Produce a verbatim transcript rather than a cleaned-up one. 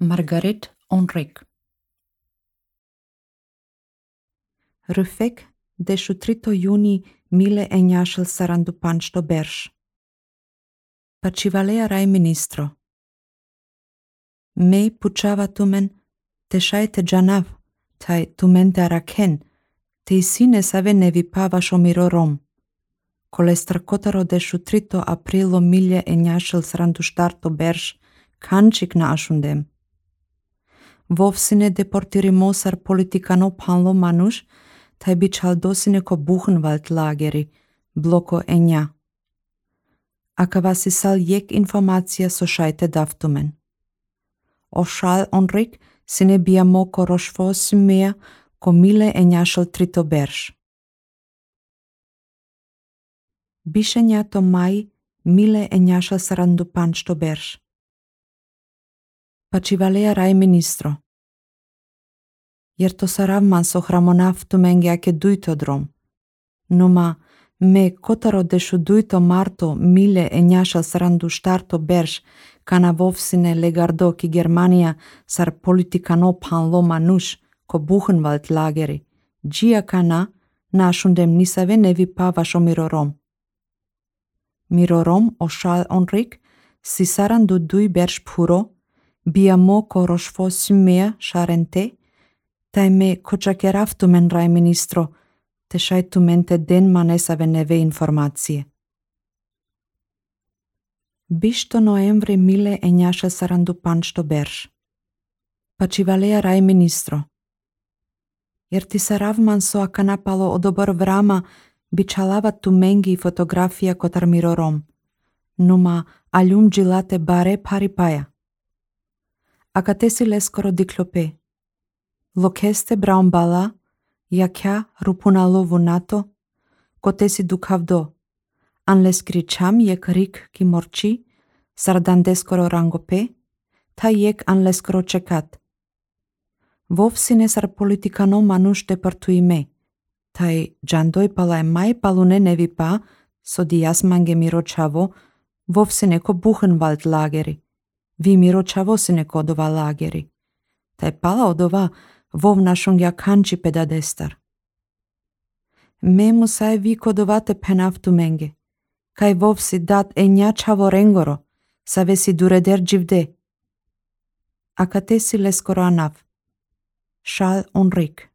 Margaret Onrik. Rufek deshutrito juni mile enjashel sarandupanchto bersh. Pacivalea rai ministro. Me puchava tumen te shaite janav, tai tumente araken, te isine save nevi pava shomirorom. Kolestracotaro deshutrito aprilo mile enjashel sarandushtarto bersh, kanchik na ashundem. Vovsine deportirimosar politikano panlo manush, tai bichaldosine ko Buchenwald lageri, bloko enja. Akavasi sal jek informacija so šajte daftumen. Ošal onrik sine biamoko rošvo simea ko mile enjašal trito berš. Bišenja to maj mile enjašal sarandupančto berš. Pacivalea rai ministro. Jer to saravman so hramonaf tumenge ake duito drom. Numa me kotaro deshu duito marto mile enjashal sarandu shtarto bersh kana vovsine legardo ki Germania sar politikano panlo manush ko Buchenwald lageri. Gia kana nashundem nisave nevi pava shomirorom. Mirorom oshal onrik si sarandu dui bersh puro biamo ko roshfo simea sharente tai me kochakeraftumen rai ministro te shajtumente den manesave neve informacije. Bishto noemvri mile enjasha sarandupanchto bersh. Pacivalea rai ministro. Jer ti saravman so akanapalo odobor vrama bichalava tumengi fotografia kotar mirorom. Numa aljum gilate bare paripaja. Akatesi leskoro diklope. Lokeste braumbala, jakja rupunalo vunato, kotesi dukavdo, anles kricham jek rik ki morchi, sardandeskoro rangope, ta jek anleskoro čekat. Vovsine sar politikano manush deportuime, tai džandoj palaj maj palune nevi pa, so dias mange miročavo, vovsine ko Buchenwald lageri, vi miročavo sine kodova lageri. Tai pala odova vovna shungja kanči pedadestar. Memu saj vi kodovate penaftu menge, kaj vovsi dat enja čavo rengoro, savesi dureder dživde. Akatesi leskoro anav. Šal onrik.